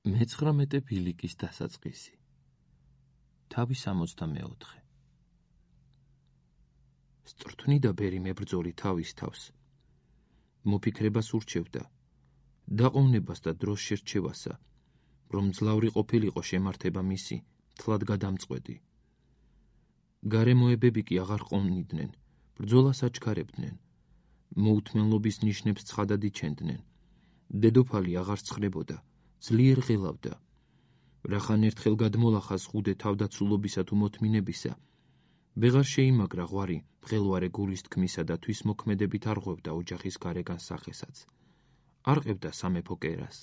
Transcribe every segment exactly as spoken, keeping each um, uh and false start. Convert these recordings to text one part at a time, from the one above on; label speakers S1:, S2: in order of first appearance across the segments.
S1: მეცხრამეტე ბილიკის დასაწყისი. თავი სამოცდამეოთხე. სწრთვნიდა ბერი მებრძოლი თავის თავს. მოფიქრებას ურჩევდა, დაყოვნებას და დროს შერჩევასა, რომ ძლავრი ყოფილიყო შემართება მისი, თლად გადამწყვეტი. გარემოებები კი აღარ ყოვნიდნენ, ბრძოლას აჩქარებდნენ, მოუთმენლობის ნიშნებს ცხადად იჩენდნენ. დედოფალი აღარ ცხრებოდა, ძლიერ ღელავდა. რახან ერთხელ გადმოლახას ხუდე თავდაცულობისა თუ მოთმინებისა, ვეღარ შეიმაგრა ღვარი მღელვარე გულის თქმისა და თვის მოქმედებით არ ღვევდა ოჯახის გარეგან სახესაც. არ ყევდა სამეფო კერას.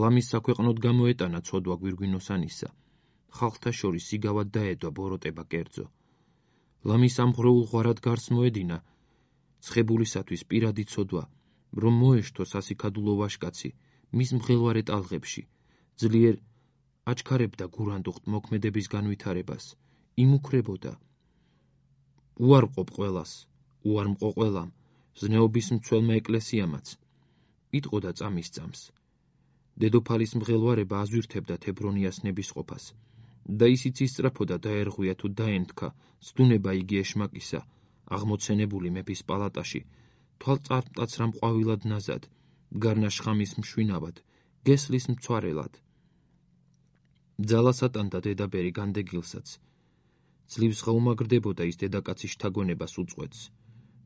S1: ლამის საქვეყნოდ გამოეტანა ცოდვა გვირგვინოსანისა, ხალხთა შორის სიგავად დაედვა ბოროტება კერძო. ლამის ამღვრეულ ღვარად გარს მოედინა, ცხებულისათვის პირადი ცოდვა, რომ მოეშთო სასიქადულო ვაჟკაცი მის მღელვარე ტალღებში, ძლიერ აჩქარებდა გურანდუხტ მოქმედების განვითარებას, იმუქრებოდა. უარყოფ ყველას, უარმყო ყველამ, ზნეობის მცველმა ეკლესიამაც, იტყოდა წამის წამს. დედოფალის მღელვარება აზვირთებდა თებრონიას ნებისყოფას, და ისიც ისწრაფოდა დაერღვია თუ დაენთქა, ზდუნება იგი ეშმაკისა, აღმოცენებული მეფის პალატაში, თვალწარმტაცრა მყვავილად ნაზად, გარნა შხამის მშვინავად, გესლის მცვარელად. ძალას ატანდა დედაბერი განდეგილსაც. ძლივს გაუმაგრდებოდა ის დედაკაცის შთაგონებას უწყვეტს,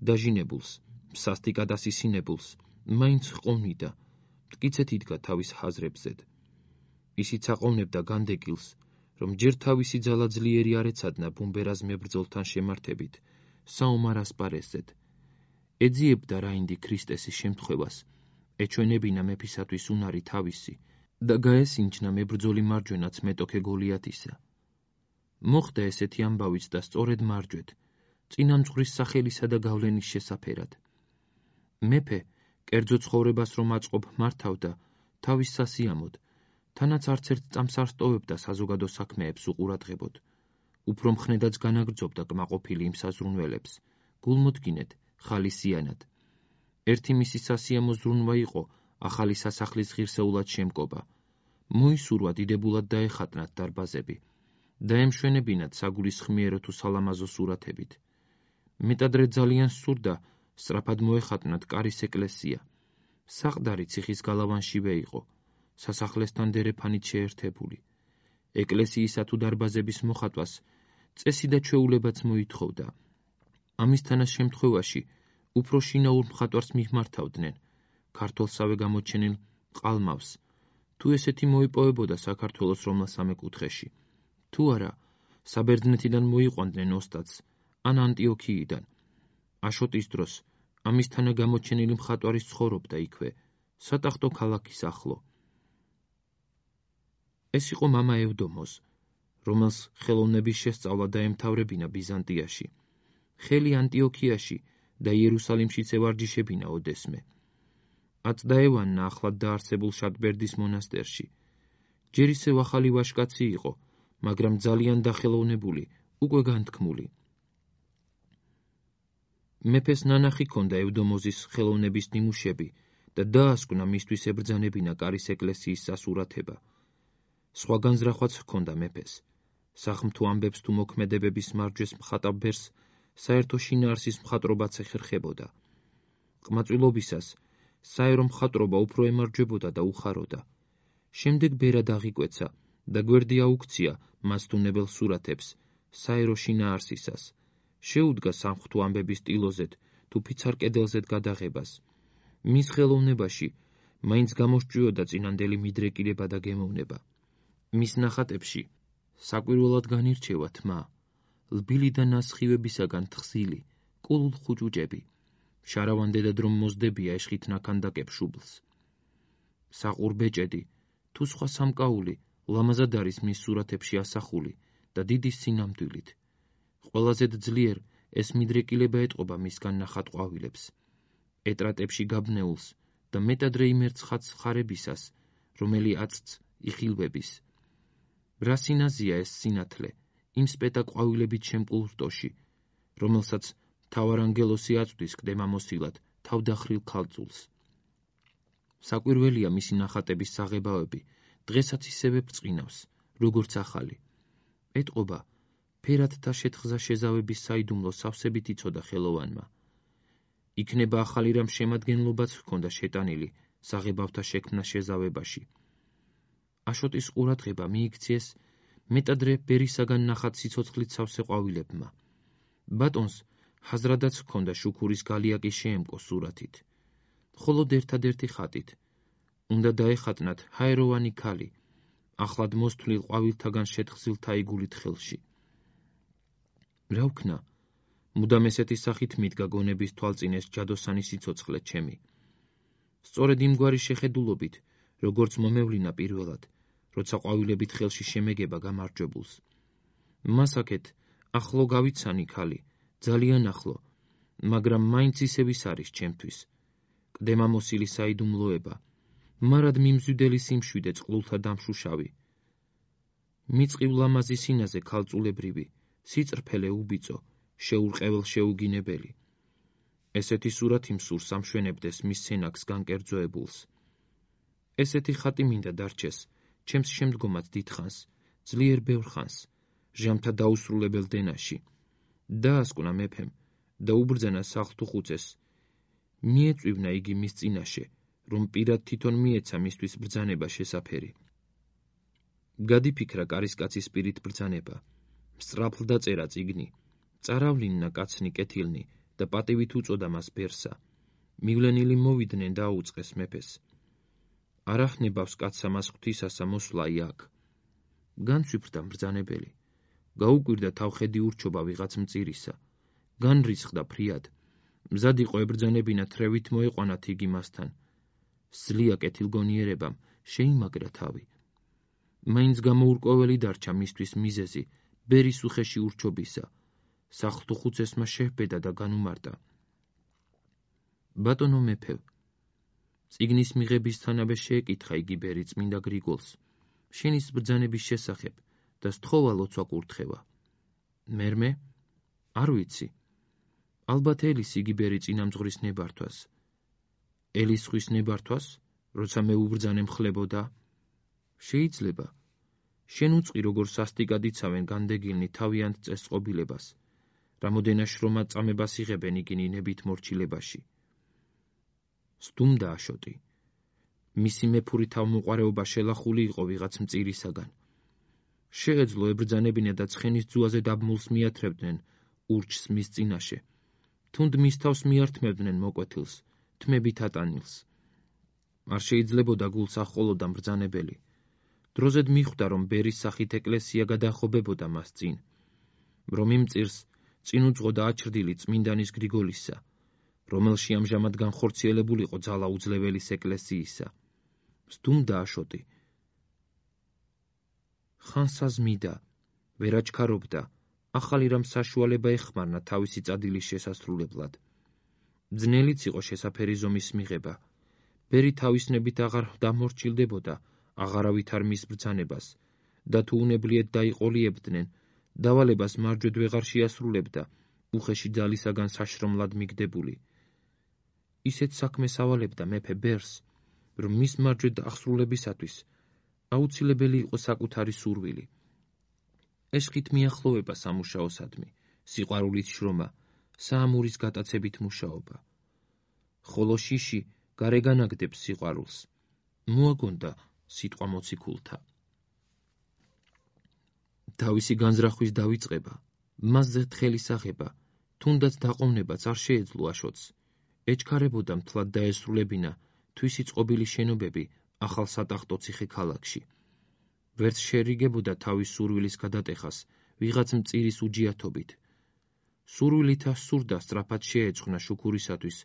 S1: დაჟინებულს, სასტიკად ასისინებულს, მაინც ჰყოვნიდა, მტკიცეთ იდგა თავის ჰაზრებზედ. ისიც აყოვნებდა განდეგილს, რომ ჯერ თავისი ძალა ძლიერი არ ეცადნა ბუმბერას მებრძოლთან შემართებით, საომარ ასპარეზზედ. ეძიებდა რაინდი ქრისტესის შემთხვევას, ეჩვენებინა მეფისათვის უნარი თავისი და გაესინჯნა მებრძოლი მარჯვენაც მეტოქე გოლიათისა. მოხდა ესეთი ამბავიც და სწორედ მარჯვედ, წინამძღვრის სახელისა და გავლენის შესაფერად. მეფე, კერძო ცხოვრებას რომ აწყობ მართავდა, თავის სასიამოდ, თანაც არც ერთ წამს არ სტოვებდა საზოგადო საქმეებს უყურადღებოდ. უფრო მხნედაც განაგრძობდა კმაყოფილი იმ საზრუნველებს, გულმოდგინედ, ხალისიანად. ერთი მისი სასიამო ზრუნვა იყო ახალი სასახლის ღირსეულად შემკობა. მოისურვა დიდებულად დაეხატნათ დარბაზები, დაემშვენებინათ საგულისხმიერო თუ სალამაზო სურათებით. მეტადრე ძალიან სურდა სწრაფად მოეხატნათ კარის ეკლესია. საყდარი ციხის გალავანშივე იყო, სასახლესთან დერეფანით შეერთებული. ეკლესიისა თუ დარბაზების მოხატვას წესი და ჩვეულებაც მოითხოვდა. ამისთანაც შემთხვევაში უფრო შინაურ მხატვარს მიმართავდნენ, ქართველსავე გამოჩენილ ყალმავს, თუ ესეთი მოიპოვებოდა საქართველოს რომლას სამეკუთხეში. თუ არა, საბერძნეთიდან მოიყვანდნენ ოსტატს, ან ანტიოქიიდან. აშოტის დროს ამისთანა გამოჩენილი მხატვარის ცხოვრობდა იქვე, სატახტო ქალაქის ახლო. ეს იყო მამა ევდომოს, რომელს ხელოვნების შესწავლა დაემთავრებინა ბიზანტიაში, ხელი ანტიოქიაში და იერუსალიმშიც ევარჯიშებინა ოდესმე. აწდაევანნა ახლად დაარსებულ შატბერდის მონასტერში. ჯერ ისევ ახალი ვაჟკაცი იყო, მაგრამ ძალიან დახელოვნებული, უკვე განთქმული. მეფეს ნანახი ჰქონდა ევდომოზის ხელოვნების ნიმუშები და დაასკვნა მისთვის ებრძანებინა კარის ეკლესიის სასურათება. სხვა განზრახვაც ჰქონდა მეფეს. სახმთო ამბებს თუ მოქმედებების მარჯვეს მხატავ ბერს საერთო შინაარსის მხატვრობაც ეხერხებოდა. ყმაწვილობისას საერო მხატვრობა უფრო ემარჯვებოდა და უხაროდა. შემდეგ ბერად აღიკვეცა და გვერდი აუქცია მას თუნებელ სურათებს, საერო შინაარსისას. შეუდგა სამღვთო ამბების ტილოზეთ თუ ფიცარ კედელზეთ გადაღებას. მის ხელოვნებაში მაინც გამოსჭვიოდა წინანდელი მიდრეკილება და გემოვნება. მის ნახატებში საკვირველად განირჩევა თმა, ლბილი და ნასხივებისაგან თხზილი, კულულ ხუჭუჭები. შარავანდედად რომ მოზდებია ეშხით ნაქანდაკებ შუბლს. საყურბეჭედი, თუ სხვა სამკაული, ლამაზად არის მის სურათებში ასახული და დიდი სინამდვილით. ყველაზე ძლიერ ეს მიდრეკილება ეტყობა მისგან ნახატ ყვავილებს, ეტრატებში გაბნეულს და მეტადრე იმერცხაც ხარებისას, რომელი აწც იხილვების. რა სინაზია ეს სინათლე, იმ სპეტა ყვავილებით შემკულ რტოში, რომელსაც მთავარანგელოსი აწვდის კდემამოსილად თავდახრილ ქალწულს. საკვირველია მისი ნახატების საღებავები, დღესაც ისევე ბრწყინავს, როგორც ახალი. ეტყობა, ფერადთა შეთხზა შეზავების საიდუმლო სავსებით იცოდა ხელოვანმა. იქნება ახალი რამ შემადგენლობაც ჰქონდა შეტანილი საღებავთა შექმნა შეზავებაში. აშოტის ყურადღება მიიქციეს მეტადრე ბერისაგან ნახატ სიცოცხლით სავსე ყვავილებმა. ბატონს ჰაზრადაც ჰქონდა შუქურის გალიაკი შეემკო სურათით. მხოლოდ ერთადერთი ხატით. უნდა დაეხატნათ ჰაეროვანი ქალი, ახლად მოსთვლილ ყვავილთაგან შეთხზილ თაიგულით ხელში. რა ვქნა? მუდამ ესეთი სახით მიდგა გონების თვალწინეს ჯადოსანი სიცოცხლე ჩემი. სწორედ იმგვარი შეხედულობით, როგორც მომევლინა პირველად, როცა ყვავილებით ხელში შემეგება გამარჯვებულს. მასაკეთ, ახლო გავიცანი ქალი, ძალიან ახლო, მაგრამ მაინც ისევის არის ჩემთვის. კდემამოსილი საიდუმლოება, მარად მიმზვიდელი სიმშვიდე წყლულთა დამშუშავი. მიწყივ ლამაზი სინაზე ქალწულებრივი, სიწრფელე უბიწო, შეურყეველ შეუგინებელი. ესეთი სურათი მსურს ამშვენებდეს მის სენაკს განკერძოებულს. ესეთი ხატი მინდა დარჩეს, ჩემს შემდგომად დიდხანს, ძლიერ ბევრ ხანს, ჟამთა დაუსრულებელ დენაში. დაასკვნა მეფემ და უბრძანა სახლთუხუცეს. მიეწვივნა იგი მის წინაშე, რომ პირად თვითონ მიეცა მისთვის ბრძანება შესაფერი. გადიფიქრა კარისკაცის პირით ბრძანება, სწრაფლ დაწერა წიგნი, წაავლინნა კაცნი კეთილნი და პატივით უწოდა მას ბერსა. მივლენილი მოვიდნენ და აუწყეს მეფეს. არ ახნებავს კაცსა მას ღვთისასა მოსვლა იქ. განცვიფრდა მბრძანებელი, გაუკვირდა თავხედი ურჩობა ვიღაც მწირისა, განრისხდა ფრიად, მზად იყო ებრძანებინა თრევით მოეყვანათ იგი მასთან. სძლია კეთილგონიერებამ, შეიმაგრა თავი. მაინც გამოურკვეველი დარჩა მისთვის მიზეზი, ბერის უხეში ურჩობისა. სახლთუხუცესმა შეჰბედა და განუმარტა. ბატონო მეფევ, წიგნის მიღებისთანავე შეეკითხა იგი ბერი წმინდა გრიგოლს, შენის ბრძანების შესახებ და სთხოვა ლოცვა კურთხევა. მერმე? არ ვიცი. ალბათ ელის იგი ბერი წინამძღვრის ნებართვას. ელის ხვის ნებართვას, როცა მე უბრძანე მხლებოდა? შეიძლება. შენ უწყი როგორ სასტიკად იცავენ განდეგილნი თავიანთ წესწყობილებას, რამოდენა შრომად წამებას იღებენ იგინი ნებით მორჩილებაში. სდუმდა აშოტი. მისი მეფური თავმოყარეობა შელახული იყო ვიღაც მწირისაგან. შეეძლო ებრძანებინა და ცხენის ძუაზე დაბმულს მიათრევდნენ ურჩს მის წინაშე. თუნდ მის თავს მიართმევდნენ მოკვეთილს, თმებით ატანილს. არ შეიძლებოდა გულს აჰყოლოდა მბრძანებელი. დროზედ მიხვდა, რომ ბერის სახით ეკლესია გადახობებოდა მას წინ, რომ იმ წირს წინ უძღოდა აჩრდილი წმინდანის გრიგოლისა, რომელში ამჟამად განხორციელებულიყო ძალა უძლეველის ეკლესიისა. სდუმდა აშოტი. ხანსა ზმიდა, ვერ აჩქარობდა, ახალი რამ საშუალება ეხმარნა თავისი წადილის შესასრულებლად. ძნელიც იყო შესაფერი ზომის მიღება. ბერი თავისნებით აღარ დამორჩილდებოდა, აღარავით არ მის ბრძანებას, და თუ უნებლიეთ დაიყოლიებდნენ, დავალებას მარჯვედ ვეღარ შეასრულებდა, უხეში ძალისაგან საშრომლად მიგდებული. ისეთ საქმეს ავალებდა მეფე ბერს, რომ მის მარჯვედ აღსრულებისათვის აუცილებელი იყო საკუთარი სურვილი. ეშხით მიახლოვება სამუშაოსადმი, სიყვარულით შრომა, საამურის გატაცებით მუშაობა. ხოლო შიში გარეგან აგდებს სიყვარულს. მოაგონდა სიტყვა მოციქულთა. თავისი განზრახვის დავიწყება, მასზე თხელის აღება, თუნდაც დაყოვნებაც არ შეეძლო აშოტს. ეჩქარებოდა მთლად დაესრულებინა თვისი წყობილი შენობები ახალ სატახტო ციხე ქალაქში. ვერც შერიგებოდა თავის სურვილის გადატეხას ვიღაც მწირის უჯიათობით. სურვილითა სურდა სწრაფად შეეწყნა შუქურისათვის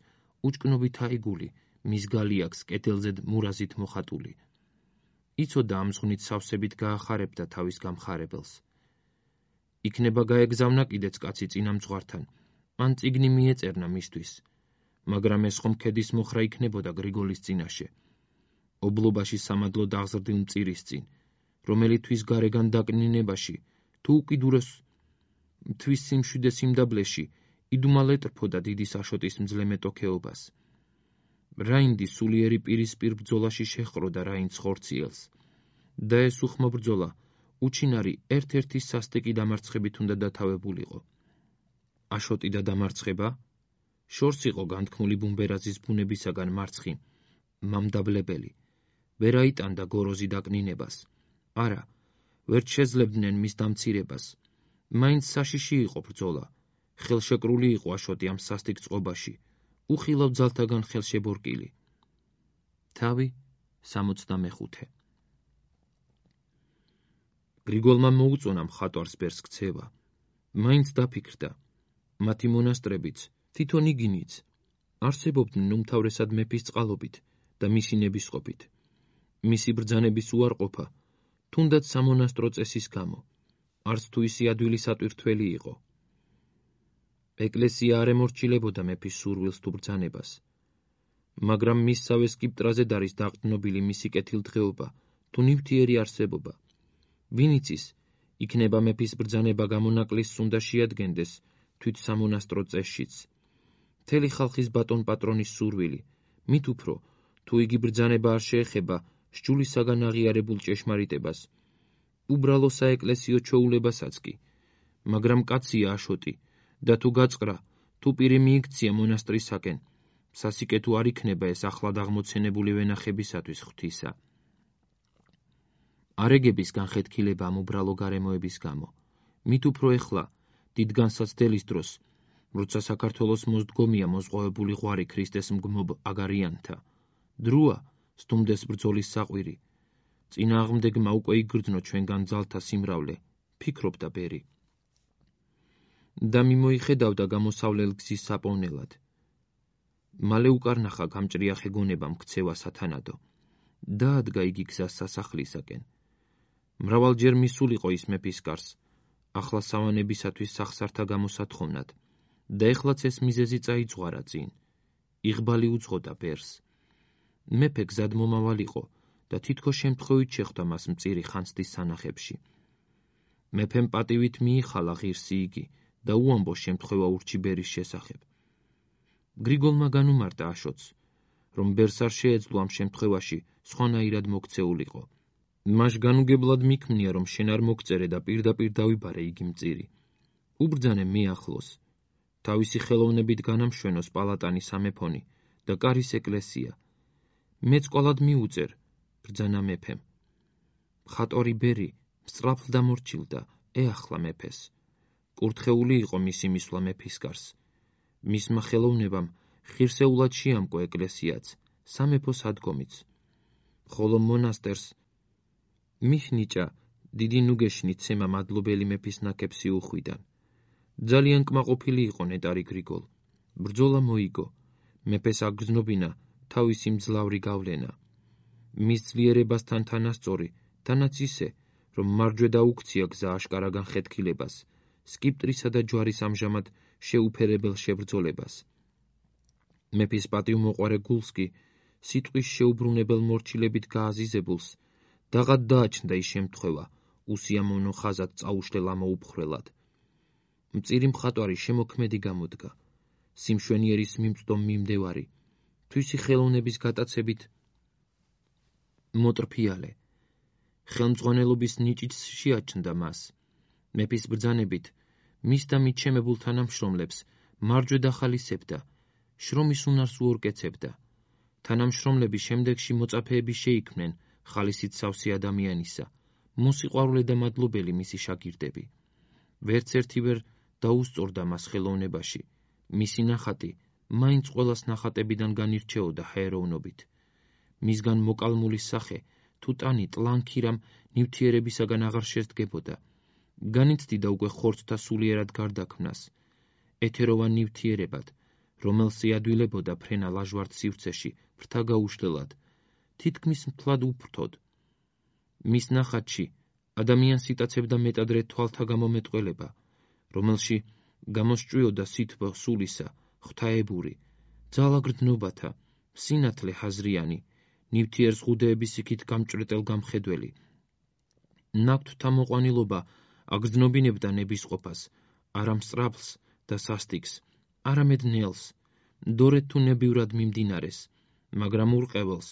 S1: უჭკნობით აიგული, მის გალიაკს კეთილზედ მურაზით მოხატული. იცოდა ამ ზღვნით სავსებით გაახარებდა თავის გამხარებელს. იქნება გაეგზავნა კიდეც კაცი წინამძღვართან, ან წიგნი მიეწერნა მისთვის, მაგრამ ეს ხომ ქედის მოხრა იქნებოდა გრიგოლის წინაშე. ობლობაში სამადლო დაღზრდილ მწირის წინ, რომელი თვის გარეგან დაკნინებაში, თუ უკიდურეს თვის სიმშვიდე სიმდაბლეში იდუმალ ეტრფოდა დიდი აშოტის მძლე მეტოქეობას. რაინდი სულიერი პირისპირ ბრძოლაში შეჰყროდა რაინდს ხორციელს და ეს უხმო ბრძოლა უჩინარი ერთ-ერთი სასტიკი დამარცხებით უნდა დათავებულიყო. აშოტი და დამარცხება შორს იყო განთქმული ბუმბერაზის ბუნებისაგან მარცხი მამდაბლებელი, ვერ აიტანდა გოროზი დაკნინებას, არა, ვერ შეძლებდნენ მის დამცირებას, მაინც საშიში იყო ბრძოლა, ხელშეკრული იყო აშოტი ამ სასტიკ წყობაში, უხილავ ძალთაგან ხელშებორკილი. თავი სამოცდამეხუთე. გრიგოლმა მოუწონა მხატვარს ბერს ქცევა, მაინც დაფიქრდა, მათი მონასტრებიც, თვითონ იგინიც, არსებობდნენ უმთავრესად მეფის წყალობით და მისი ნებისყოფით. მისი ბრძანების უარყოფა, თუნდაც სამონასტრო წესის გამო, არც თუ ისი ადვილი სატვირთველი იყო. ეკლესია არ ემორჩილებოდა მეფის სურვილს თუ ბრძანებას, მაგრამ მისსავე სკიპტრაზედ არის დაყრდნობილი მისი კეთილდღეობა თუ ნივთიერი არსებობა. ვინ იცის, იქნება მეფის ბრძანება გამონაკლისს უნდა შეადგენდეს თვით სამონასტრო წესშიც. მთელი ხალხის ბატონ-პატრონის სურვილი, მით უფრო, თუ იგი ბრძანება არ შეეხება სჯულისაგან აღიარებულ ჭეშმარიტებას, უბრალო საეკლესიო ჩვეულებასაც კი, მაგრამ კაცია აშოტი და თუ გაწყრა, თუ პირი მიიქცია მონასტრისაკენ, სასიკეთო არ იქნება ეს ახლად აღმოცენებული ვენახებისათვის ღვთისა. არეგების განხეთქილება ამ უბრალო გარემოების გამო, მით უფრო ეხლა, დიდ განსაცდელის დროს, როცა საქართველოს მოსდგომია მოზღვავებული ღვარი ქრისტეს მგმობ აგარიანთა, დროა სტუმდეს ბრძოლის საყვირი, წინააღმდეგმა უკვე იგრძნო ჩვენგან ძალთა სიმრავლე, ფიქრობდა ბერი. და მიმოიხედავდა გამოსავლელ გზის საპოვნელად. მალე უკარნახა გამჭრიახე გონებამ ქცევა სათანადო, დაადგა იგი გზას სასახლისაკენ. მრავალჯერ მისულიყო ის მეფის კარს, ახლა სავანებისათვის სახსართა გამოსათხოვნად, და ეხლაც ეს მიზეზი წაიძღვარა წინ, იღბალი უძღოდა ბერს. მეფე გზად მომავალიყო და თითქოს შემთხვევით შეხვდა მას მწირი ხანძთის სანახებში. მეფემ პატივით მიიხალა ღირსი იგი და უამბო შემთხვევა ურჩი ბერის შესახებ. გრიგოლმა განუმარტა აშოტს, რომ ბერს არ შეეძლო ამ შემთხვევაში სხვანაირად მოქცეულიყო. მას განუგებლად მიქმნია, რომ შენ არ მოგწერე და პირდაპირ დავიბარე იგი მწირი. უბრძანე მე ახლოს, თავისი ხელოვნებით განამშვენოს პალატანი სამეფონი და კარის ეკლესია. მეც ყოლად მიუწერ, ბრძანა მეფემ. მხატვარი ბერი სწრაფლ დამორჩილდა, ეახლა მეფეს. კურთხეული იყო მისი მისვლა მეფის კარს. მისმა ხელოვნებამ ხირსეულად შეამკო ეკლესიაც, სამეფო სადგომიც. ხოლო მონასტერს მიხნიჭა დიდი ნუგეშნი ცემა მადლობელი მეფის ნაკეფსი უხვიდან. ძალიან კმაყოფილი იყო ნეტარი გრიგოლ. ბრძოლა მოიგო, მეფეს აგრძნობინა თავისი მძლავრი გავლენა. მის ძლიერებასთან თანასწორი, თანაც ისე, რომ მარჯვე დაუქცია გზა აშკარა განხეთქილებას, სკიპტრისა და ჯვარის ამჟამად შეუფერებელ შებრძოლებას. მეფის პატივმოყვარე გულს კი სიტყვის შეუბრუნებელ მორჩილებით გააზიზებულს დაღად დააჩნდა ის შემთხვევა, უსიამოვნო ხაზად წაუშლელ ამოუფხრელად. მწირი მხატვარი შემოქმედი გამოდგა, სიმშვენიერის მიმწვდომ მიმდევარი, თვისი ხელოვნების გატაცებით მოტრფიალე. ხელმძღვანელობის ნიჭიც შეაჩნდა მას. მეფის ბრძანებით, მის და მიჩემებულ თანამშრომლებს მარჯვე დახალისებდა, შრომის უნარს უორკეცებდა. თანამშრომლები შემდეგში მოწაფეები შეიქმნენ ხალისით სავსე ადამიანისა, მოსიყვარულე და მადლობელი მისი შაგირდები. ვერც ერთი ვერ დაუსწორდა მას ხელოვნებაში, მისი ნახატი მაინც ყველას ნახატებიდან განირჩეოდა ჰაეროვნობით. მისგან მოკალმული სახე თუ ტანი ტლანქირამ ნივთიერებისაგან აღარ შესდგებოდა. განიცდიდა უკვე ხორცთა სულიერად გარდაქმნას, ეთეროვან ნივთიერებად, რომელს იადვილებოდა ფრენა ლაჟვარდ სივრცეში ფრთა გაუშლელად, თითქმის მთლად უფრთოდ. მის ნახატში ადამიანს იტაცებდა მეტადრე თვალთა გამომეტყველება, რომელში გამოსჭვიოდა სითბო სულისა, ღვთაებური, ძალაგრძნობათა, სინათლე ჰაზრიანი, ნივთიერ ზღუდეების იქით გამჭრეტელ გამხედველი. ნაქვთთა მოყვანილობა აგრძნობინებდა ნებისყოფას, არა მსწრაფლს და სასტიკს, არამედ ნელს, დორეთ თუ ნებივრად მიმდინარეს, მაგრამ ურყეველს,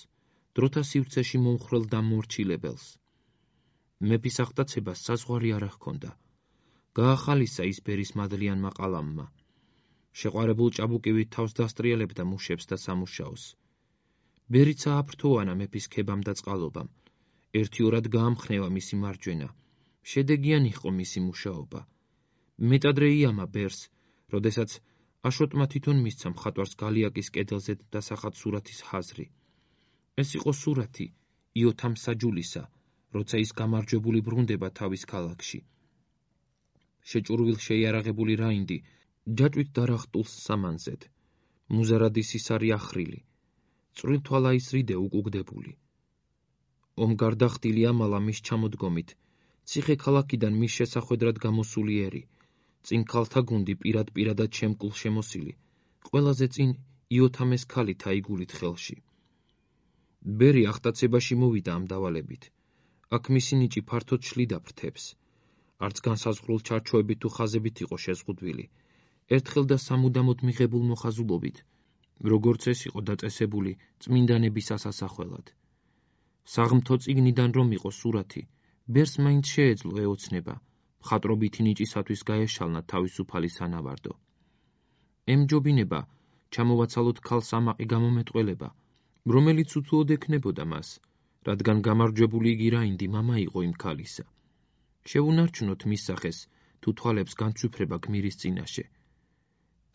S1: დროთა სივრცეში მომხრელ და მორჩილებელს. მეფის აღტაცებას საზღვარი არ ჰქონდა. გაახალისა ის ბერის მადლიანმა ყალამმა. შეყვარებულ ჭაბუკივით თავს დასტრიალებდა მუშებს და სამუშაოს. ბერიცა აფრთოვანა მეფის ქებამ და წყალობამ. ერთიორად გაამხნევა მისი მარჯვენა. შედეგიანი იყო მისი მუშაობა. მეტადრე იამა ბერს, როდესაც აშოტმა თვითონ მისცა მხატვარს გალიაკის კედელზე დასახად სურათის ხაზრი. ეს იყო სურათი იოთამ საჯულისა, როცა ის გამარჯვებული ბრუნდება თავის ქალაქში. შეჭურვილ შეიარაღებული რაინდი ჯაჭვით დარახტულს სამანზედ. მუზარადის ისარი ახრილი. წვრილთვალა ის რიდე უკუგდებული. ომგარდახტილი ამალა მის ჩამოდგომით, ციხე ქალაქიდან მის შესახვედრად გამოსული ერი, წინ ქალთა გუნდი პირად პირადად შემკულ შემოსილი, ყველაზე წინ იოთამეს ქალი თაიგულით ხელში. ბერი აღტაცებაში მოვიდა ამ დავალებით. აქ მისი ნიჭი ფართოდ შლიდა ფრთებს. არც განსაზღვრულ ჩარჩოებით თუ ხაზებით იყო შეზღუდვილი. ერთხელ და სამუდამოდ მიღებულ მოხაზულობით, როგორც ეს იყო დაწესებული წმინდანების ასასახველად. საღმთო წიგნიდან რომ იყო სურათი, ბერს მაინც შეეძლო ეოცნება, მხატვრობითი ნიჭისათვის გაეშალნა თავისუფალი სანავარდო. ემჯობინება ჩამოვაცალოთ ქალს ამაყი გამომეტყველება, რომელიც უთუოდ ექნებოდა მას, რადგან გამარჯვებული იგი რაინდი მამა იყო იმ ქალისა. შევუნარჩუნოთ მის სახეს, თუ თვალებს განცვიფრება გმირის წინაშე.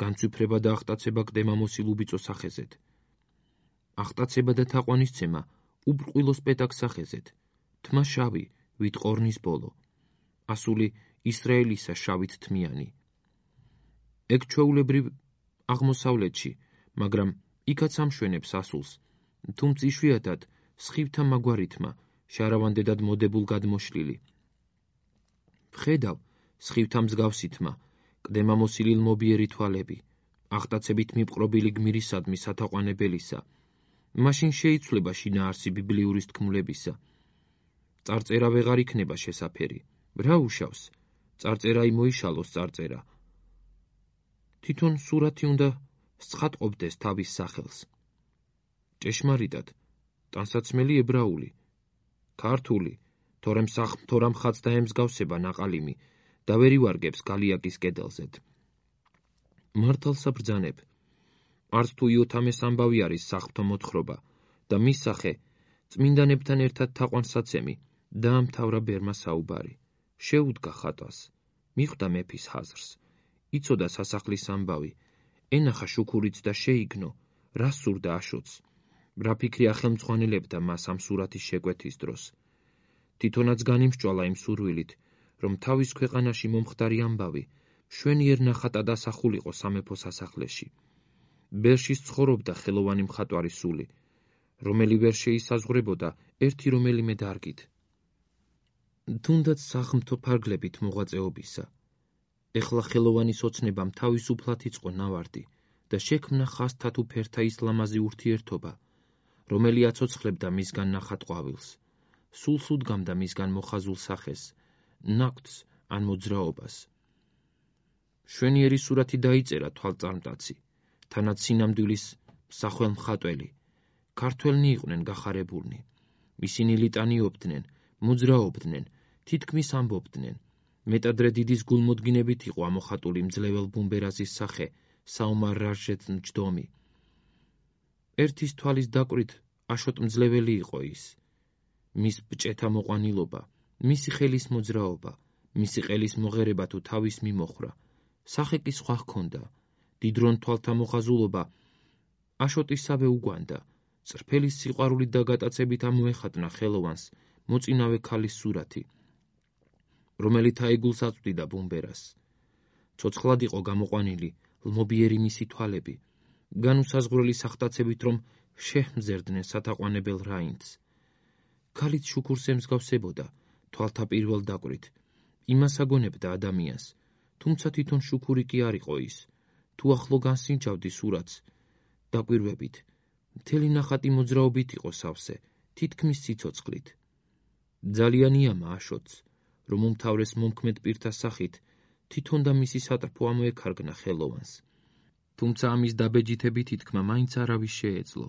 S1: განცვიფრება და აღტაცება კდემამოსილ უბიწო სახეზეთ. აღტაცება და თაყვანისცემა უბრყვილო სპეტაკ სახეზეთ. თმა შავი, ვით ყორნის ბოლო. ასული ისრაელისა შავით თმიანი. ეგ ჩვეულებრივ აღმოსავლეთში, მაგრამ იქაც ამშვენებს ასულს, თუმცა იშვიათად სხივთა მაგვარითმა, შარავანდედად მოდებულ გადმოშლილი. ვხედავ, სხივთა მსგავსითმა, კდემამოსილი ლმობიერი თვალები, აღტაცებით მიპყრობილი გმირისადმი სათაყვანებელისა, მაშინ შეიცვლება შინაარსი ბიბლიურის თქმულებისა. წარწერა ვეღარ იქნება შესაფერი. რა უშავს? წარწერა იმოიშალოს წარწერა. თვითონ სურათი უნდა სცხატყობდეს თავის სახელს. ჭეშმარიტად, ტანსაცმელი ებრაული, ქართული, თორემ სახმთო მხაც დაემსგავსება ნაყალიმი და ვერ ივარგებს გალიაკის კედელზედ. მართალსა ბრძანებ, არც თუ იოთამეს ამბავი არის სახმთო მოთხრობა და მის სახე წმინდანებთან ერთად თაყვანსაცემი დაამთავრა ბერმა საუბარი. შეუდგა ხატვას, მიხვდა მეფის ხაზრს, იცოდა სასახლის ამბავი, ენახა შუქურიც და შეიგნო, რა სურდა აშოც, რა ფიქრი ახელმძღვანელებდა მას ამ სურათის შეკვეთის დროს. თვითონაც განიმსჭვალა იმ სურვილით, რომ თავის ქვეყანაში მომხდარი ამბავი მშვენიერ ნახატად ასახულიყო სამეფო სასახლეში. ბერში ცხოვრობდა ხელოვანი მხატვარი სული, რომელი ვერ შეისაზღვრებოდა ერთი რომელიმე დარგით. თუნდაც სახმთო ფარგლებით მოღვაწეობისა. ეხლა ხელოვანის ოცნებამ თავისუფლად იწყო ნავარდი და შექმნა ხაზთა თუ ფერთა ის ლამაზი ურთიერთობა, რომელი აცოცხლებდა მისგან ნახატ ყვავილს, სულს უდგამდა მისგან მოხაზულ სახეს, ნაკვთს ან მოძრაობას. მშვენიერი სურათი დაიწერა თვალწარმტაცი, თანაც სინამდვილის მსახველ მხატველი. ქართველნი იყვნენ გახარებულნი. ისინი ლიტანიობდნენ, მოძრაობდნენ, თითქმის ამბობდნენ. მეტადრე დიდის გულმოდგინებით იყო ამოხატული მძლეվել ბუმბერაზის სახე, საომარ რაჟეთ მჯდომი. ერთის თვალის დაკვრით აშოტ მძლეველი იყო ის. მის ბჭეთა მოყვანილობა, მისი ხელის მოძრაობა, მისი ყელის მოღერება თუ თავის მიმოხრა, სახე კი სხვა ჰქონდა, დიდრონ თვალთა მოხაზულობა, აშოტისავე უგვანდა, წრფელის სიყვარულით და გატაცებით ამოეხატნა ხელოვანს მოწინავე ქალის სურათი, რომელიც თაიგულს აწვდიდა ბუმბერას. ცოცხლად იყო გამოყვანილი ლმობიერი მისი თვალები, განუსაზღვრელი სახტაცებით რომ შეჰმზერდნენ სათაყვანებელ რაინდს. ქალით შუქურს ემსგავსებოდა, თვალთა პირველ დაკვრით, იმას აგონებდა ადამიანს, თუმცა თვითონ შუქური კი არ იყო ის, თუ ახლო განსინჯავდი სურათს, დაკვირვებით, მთელი ნახატი მოძრაობით იყო სავსე, თითქმის სიცოცხლით. ძალიან იამა აშოტს, რომ უმთავრეს მომქმედ პირთა სახით, თვითონ და მისი სატრფო ამოექარგნა ხელოვანს. თუმცა ამის დაბეჯითებით ითქმა მაინც არავის შეეძლო.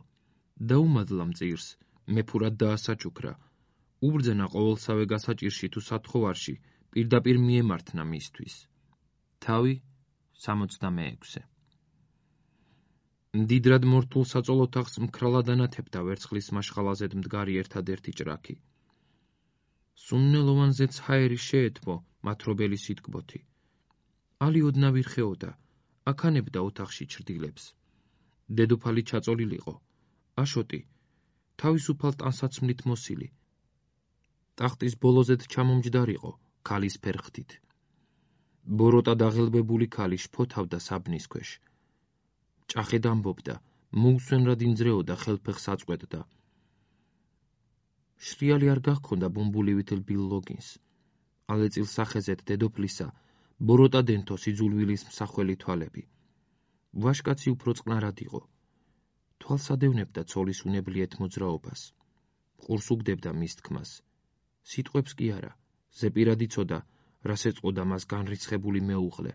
S1: დაუმადლა მწირს, მეფურად დაასაჩუქრა, უბრძანა ყოველსავე გასაჭირში თუ სათხოვარში პირდაპირ მიემართნა მისთვის. თავი სამოცდამეექვსე. მდიდრად მორთულ საწოლ ოთახს მქრალად ანათებდა ვერცხლის მაშხალაზედ მდგარი ერთადერთი ჭრაქი. სუნნელოვანზეც ჰაერი შეეთმო მათრობელი სიტკბოთი. ალი ოდნავ ირხეოდა, აქანებდა ოთახში ჩრდილებს. დედოფალი ჩაწოლილიყო, აშოტი, თავისუფალ ტანსაცმლით მოსილი. ტახტის ბოლოზედ ჩამომჯდარიყო, ქალის ფერხთით. ბოროტა დაღელბებული ქალი შფოთავდა საბნის ქვეშ. ჭახედ ამბობდა, მოუსვენრად ინძრეოდა, ხელფეხს აწყვეტდა. შრიალი არ გახქონდა ბუმბულივით ლბილ ლოგინს. ალეწილ სახეზეთ დედოფლისა, ბოროტა დენთო სიძულვილის მსახველი თვალები. ვაშკაცი უფრო წყნარად იყო. თვალს ადევნებდა ცოლის უნებლიეთ მოძრაობას. ყურს უგდებდა მის თქმას. სიტყვებს კი არა, ზეპირად იცოდა, რას ეწყოდა მას განრიცხებული მეუღლე.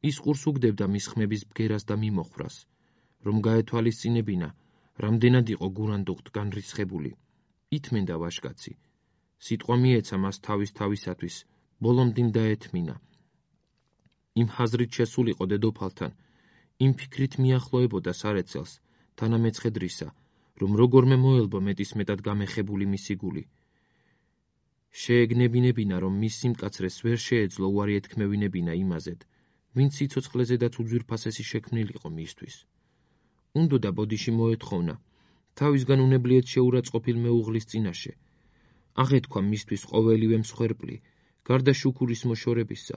S1: ის ყურს უგდებდა მის ხმების ბგერას და მიმოხვრას, რომ გაეთვალისწინებინა, რამდენად იყო გურანდუხტ განრიცხებული. ითმენდა ვაშკაცი. სიტყვა მიეცა მას თავის თავისათვის, ბოლომდინ დაეთმინა. იმ ხაზრით შესულიყო დედოფალთან, იმ ფიქრით მიახლოებოდა სარეცელს, თანამეცხედრისა, რომ როგორმე მოელბო მეტისმეტად გამეხებული მისი გული. შეეგნებინებინა, რომ მის სიმკაცრეს ვერ შეეძლო უარი ეთქმევინებინა იმაზედ, ვინც სიცოცხლეზედაც უძვირფასესი შექმნილიყო მისთვის. უნდოდა ბოდიში მოეთხოვნა, თავისგან უნებლიეთ შეურაცხყოფილ მეუღლის წინაშე. აღეთქვა მისთვის ყოველივე მსხვერპლი, გარდა შუქურის მოშორებისა.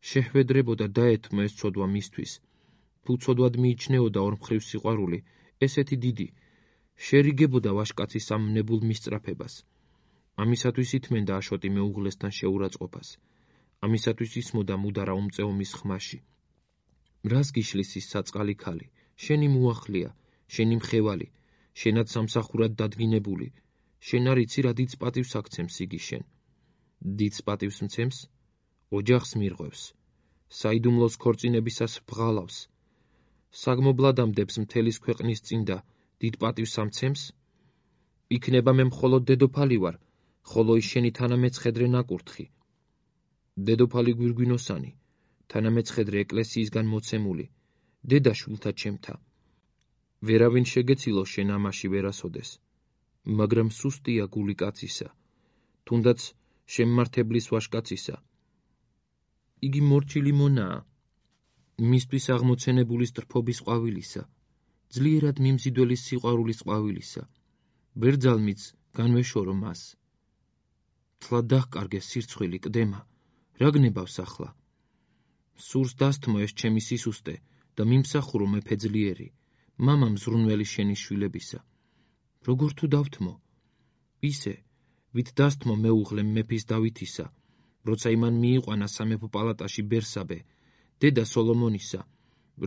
S1: შეჰვედრებოდა დაეთმო ეს ცოდვა მისთვის. თუ ცოდვად მიიჩნეოდა ორმხრივ სიყვარული, ესეთი დიდი, შერიგებოდა ვაშკაცის ამ ნებულ მისწრაფებას. ამისათვის ითმენდა აშოტი მეუღლესთან შეურაცხყოფას. ამისათვის ისმოდა მუდარა უმწეო მის ხმაში. რას გიშლის ის საწყალი ქალი, შენი მოახლეა, შენი მხევალი, შენად სამსახურად დადგინებული, შენ არ იცი რა დიდს პატივს აქცემს იგი შენ. დიდს პატივს მცემს, ოჯახს მირღვევს, საიდუმლოს ქორწინებისას ბღალავს, საგმობლადამდებს მთელის ქვეყნის წინ და დიდ პატივს ამცემს? იქნება მე მხოლოდ დედოფალი ვარ, ხოლო ის შენი თანამეცხედრე ნაკურთხი. დედოფალი გვირგვინოსანი, თანამეცხედრე ეკლესიისგან მოცემული, დედაშვილთა ჩემთა. ვერავინ შეგეცილო შენ ამაში ვერასოდეს, მაგრამ სუსტია გული კაცისა, თუნდაც შემმართებლის ვაშკაცისა. იგი მორჩილი მონაა, მისთვის აღმოცენებული სტრფობის ყვავილისა, ძლიერად მიმზიდველის სიყვარულის ყვავილისა. ბერძალმიც განვეშორო მას. თლა დაჰკარგეს სირცხვილი კდემა, რა გნებავს ახლა? სურს დასთმო ეს ჩემი სისუსტე და მიმსახურო მეფე ძლიერი, მამამ ზრუნველი შენი შვილებისა. როგორ თუ დავთმო? ისე, ვით დასთმო მეუღლე მეფის დავითისა, როცა იმან მიიყვანა სამეფო პალატაში ბერსაბე, დედა სოლომონისა,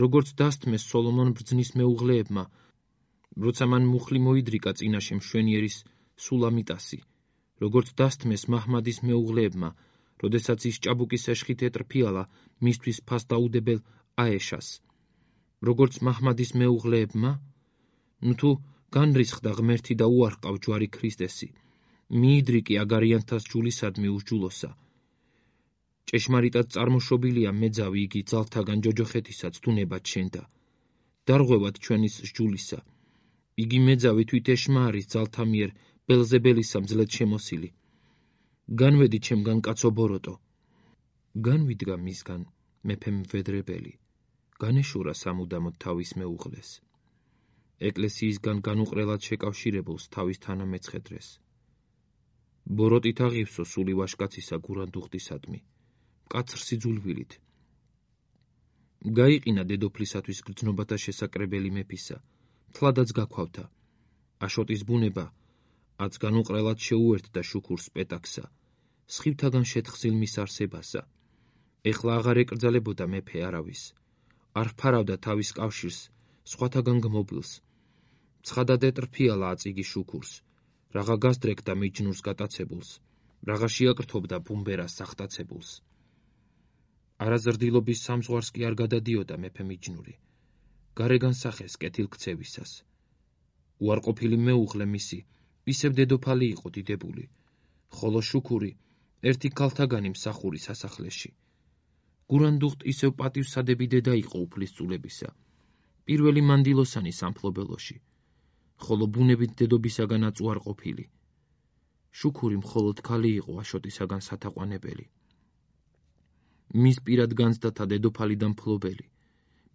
S1: როგორც დასთმეს სოლომონ ბრძნის მეუღლეებმა, როცა მან მუხლი მოიდრიკა წინაშე მშვენიერის სულამიტასი, როგორც დასთმეს მაჰმადის მეუღლეებმა, როდესაც ის ჭაბუკის ეშხით ეტრფიალა მისთვის ფასდაუდებელ აეშას, როგორც მაჰმადის მეუღლეებმა, ნუ თუ განრისხდა ღმერთი და უარყავ ჯვარი ქრისტესი, მიიდრიკი აგარიანთას ჯულისადმი უსჯულოსა. ჭეშმარიტად წარმოშობილია მეძავი იგი ძალთაგან ჯოჯოხეთისაც თუნებად შენდა. დარღვევად ჩვენის სჯულისა. იგი მეძავი თვით ეშმა არის ძალთა მიერ ბელზებელისა მძლედ შემოსილი. განვედი ჩემგან კაცო ბოროტო. განვიდგა მისგან მეფე მვედრებელი, განეშურა სამუდამოდ თავის მეუღლეს. ეკლესიისგან განუყრელად შეკავშირებულს თავის თანამეცხედრეს. ბოროტით აღივსო სული ვაშკაცისა გურანდუხტისადმი, მკაცრ სიძულვილით. გაიყინა დედოფლისათვის გრძნობათა შესაკრებელი მეფისა, თლადაც გაქვალთა. აშოტის ბუნება, აც განუყრელად შეუერთდა შუქურს პეტაქსა, სხივთაგან შეთხზილ მის არსებასა. ეხლა აღარ ეკრძალებოდა მეფე არავის, არ ფარავდა თავის კავშირს, სხვათაგან გმობილს. ცხადად ეტრფიალა აწიგი შუქურს, რაღა გასდრეკდა მიჯნურს გატაცებულს, რაღა შეაკრთობდა ბუმბერას სახტაცებულს. არაზრდილობის სამზღვარს კი არ გადადიოდა მეფე მიჯნური, გარეგან სახეს კეთილქცევისას. უარყოფილი მეუღლე მისი ისევ დედოფალი იყო დიდებული, ხოლო შუქური ერთი ქალთაგანი მსახური სასახლეში. გურანდუხტ ისევ პატივსადები დედა იყო უფლისწულებისა, პირველი მანდილოსანი სამფლობელოში, ხოლო ბუნებით დედობისაგანაც უარყოფილი. შუქური მხოლოდ ქალი იყო აშოტისაგან სათაყვანებელი. მის პირად განცდათა დედოფალი და მფლობელი,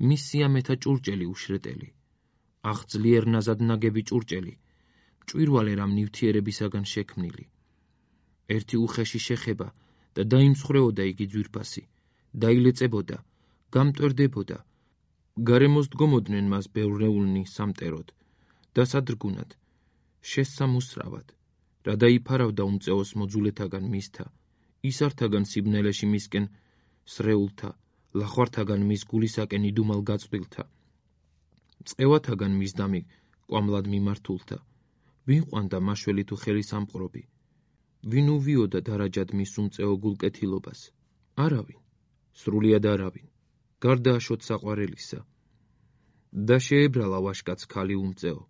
S1: მის სიამეთა ჭურჭელი უშრეტელი, აღძლიერ ნაზად ნაგები ჭურჭელი, მჭვირვალე რამ ნივთიერებისაგან შექმნილი. ერთი უხეში შეხება და დაიმსხვრეოდა იგი ძვირფასი, დაილეწებოდა, გამტვერდებოდა, გარემოს დგომოდნენ მას ბევრნეულნი სამტეროდ, დასადრგუნად, შესსამუსრავად, რა დაიფარავდა უმწეოს მოძულეთაგან მისთა, ისართაგან სიბნელეში მისკენ სრეულთა, ლახვართაგან მის გულისაკენ იდუმალ გაწვრილთა, მწყევათაგან მის დამი კვამლად მიმართულთა, ვინ ყვანდა მაშველი თუ ხელისამყრობი, ვინ უვიოდა დარაჯად მის უმწეო გულკეთილობას? არავინ, სრულიად არავინ, გარდა აშოტ საყვარელისა. და შეებრალა ვაშკაც ქალი უმწეო,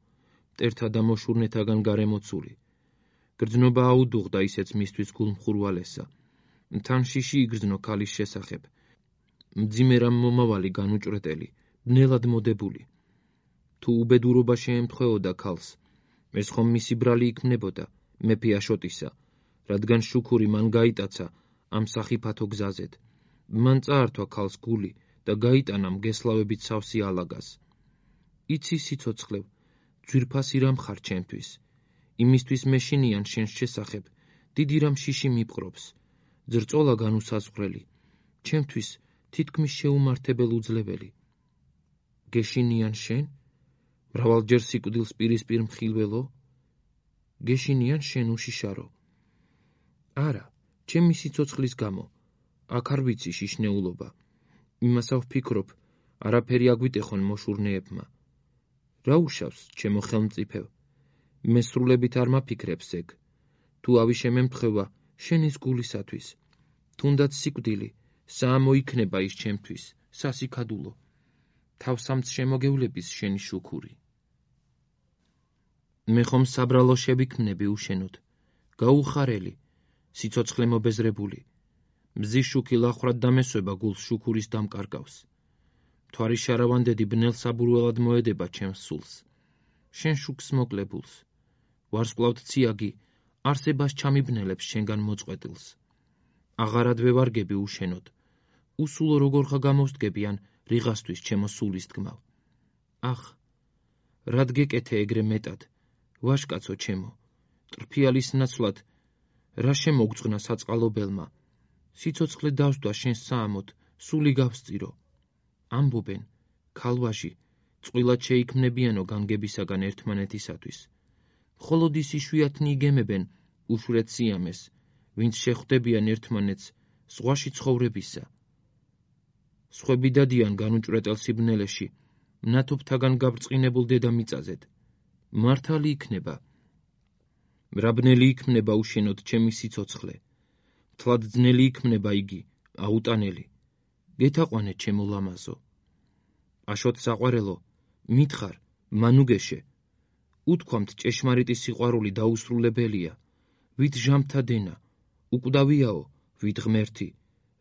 S1: მტერთა და მოშურნეთაგან გარემოცული. გრძნობა აუდუღდა ისეც მისთვის გულმხურვალესა. თან შიში იგრძნო ქალის შესახებ. მძიმე რამ მომავალი განუჭრეტელი, ბნელად მოდებული. თუ უბედურობა შეემთხვეოდა ქალს, ეს ხომ მისი ბრალი იქმნებოდა, მეფე აშოტისა, რადგან შუქური მან გაიტაცა ამ სახიფათო გზაზედ. მან წაართვა ქალს გული და გაიტანა მგესლავებით სავსე ალაგას. იცი სიცოცხლევ, ძვირფასი რამ ხარ ჩემთვის, იმისთვის მეშინიან შენს შესახებ, დიდი რამ შიში მიპყრობს, ძრწოლა განუსაზღვრელი, ჩემთვის თითქმის შეუმართებელ უძლებელი. გეშინიან შენ? მრავალჯერ სიკვდილს პირისპირ მხილველო? გეშინიან შენ უშიშარო? არა, ჩემი სიცოცხლის გამო, აქ არ ვიცი შიშნეულობა. იმასავ ვფიქრობ, არაფერი აგვიტეხონ მოშურნეებმა. რა უშავს, ჩემო ხელმწიფევ? მე სრულებით არ მაფიქრებს ეგ. თუ ავი შემემთხვევა შენის გულისათვის, თუნდაც სიკვდილი, საამო იქნება ის ჩემთვის, სასიქადულო. თავსამც შემოგევლების შენი შუქური. მე ხომ საბრალო შევიქმნები უშენოდ, გაუხარელი, სიცოცხლე მობეზრებული. მზის შუქი ლახრად დამესვება გულს შუქურის დამკარგავს. მთვარის შარავანდედი ბნელ საბურველად მოედება ჩემს სულს. შენ შუქს მოკლებულს. ვარსკვლავთ ციაგი არსებას ჩამიბნელებს შენგან მოწყვეტილს. აღარად ვევარგები უშენოდ. უსულო როგორ ხა გამოსდგები ან რიღასთვის ჩემო სულის თქმავ. ახ, რად გეკეთე ეგრე მეტად, ვაშკაცო ჩემო, ტრფიალის ნაცვლად, რა შემოგძღნა საწყალობელმა, სიცოცხლე დავსდვა შენს საამოდ, სული გავსწირო. ამბობენ, ქალვაჟი, წყვილად შეიქმნებიანო განგებისაგან ერთმანეთისათვის. მხოლოდ ის იშვიათნი იგემებენ უშვრეთ სიამეს, ვინც შეხვდებიან ერთმანეთს ზღვაში ცხოვრებისა. სხვები დადიან განუჭრეტელ სიბნელეში, მნათობთაგან გაბრწყინებულ დედამიწაზედ. მართალი იქნება. მრაბნელი იქმნება უშენოდ ჩემი სიცოცხლე. მთლად ძნელი იქმნება იგი, აუტანელი. გეთაყვანე ჩემო ლამაზო. აშოთ საყვარელო, მითხარ, მანუგეშე. უთქვამთ ჭეშმარიტი სიყვარული დაუსრულებელია, ვით ჟამთა დენა, უკვდავიაო, ვით ღმერთი,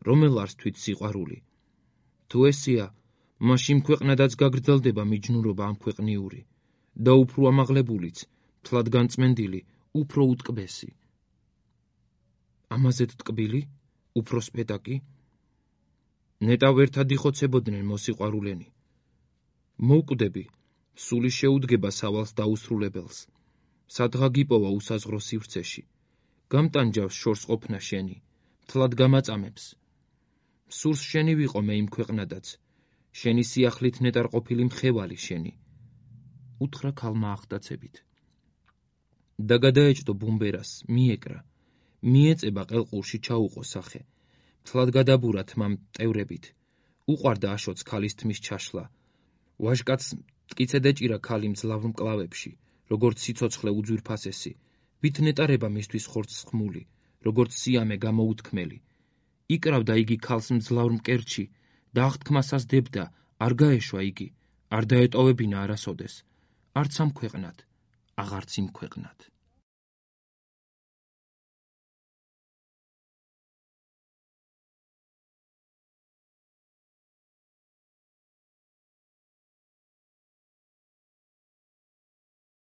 S1: რომელ არს თვით სიყვარული. თუ ესია, მაშინ ქვეყნადაც გაგრძელდება მიჯნურობა ამ ქვეყნიური და უფრო ამაღლებულიც, მთლად განწმენდილი, უფრო უტკბესი. ამაზედ ტკბილი, უფრო სპეტაკი? ნეტავ ერთად იხოცებოდნენ მოსიყვარულენი. მოვკვდები, სული შეუდგება სავალს დაუსრულებელს. სადღა გიპოვა უსაზღრო სივრცეში. გამტანჯავს შორს ყოფნა შენი, მთლად გამაწამებს. სურს შენი ვიყო მე იმ ქვეყნადაც, შენი სიახლით ნეტარყოფილი მხევალი შენი. უთხრა ქალმა ახტაცებით. და გადაეჭდო ბუმბერას, მიეკრა, მიეწება ყელყურში ჩაუყო სახე. მთლად გადაბურა თმა მტევრებით. უყვარდა აშოც ქალის თმის ჩაშლა. ვაჟკაცს მტკიცედ ეჭირა ქალი მძლავრ მკლავებში, როგორც სიცოცხლე უძვირფასესი, ვით ნეტარება მისთვის ხორცს ხმული, როგორც სიამე გამოუთქმელი. იკრავდა იგი ქალს მძლავრ მკერჩი და აღთქმასას დებდა, არ გაეშვა იგი, არ დაეტოვებინა არასოდეს, არც ამ ქვეყნად, აღარც იმ ქვეყნად.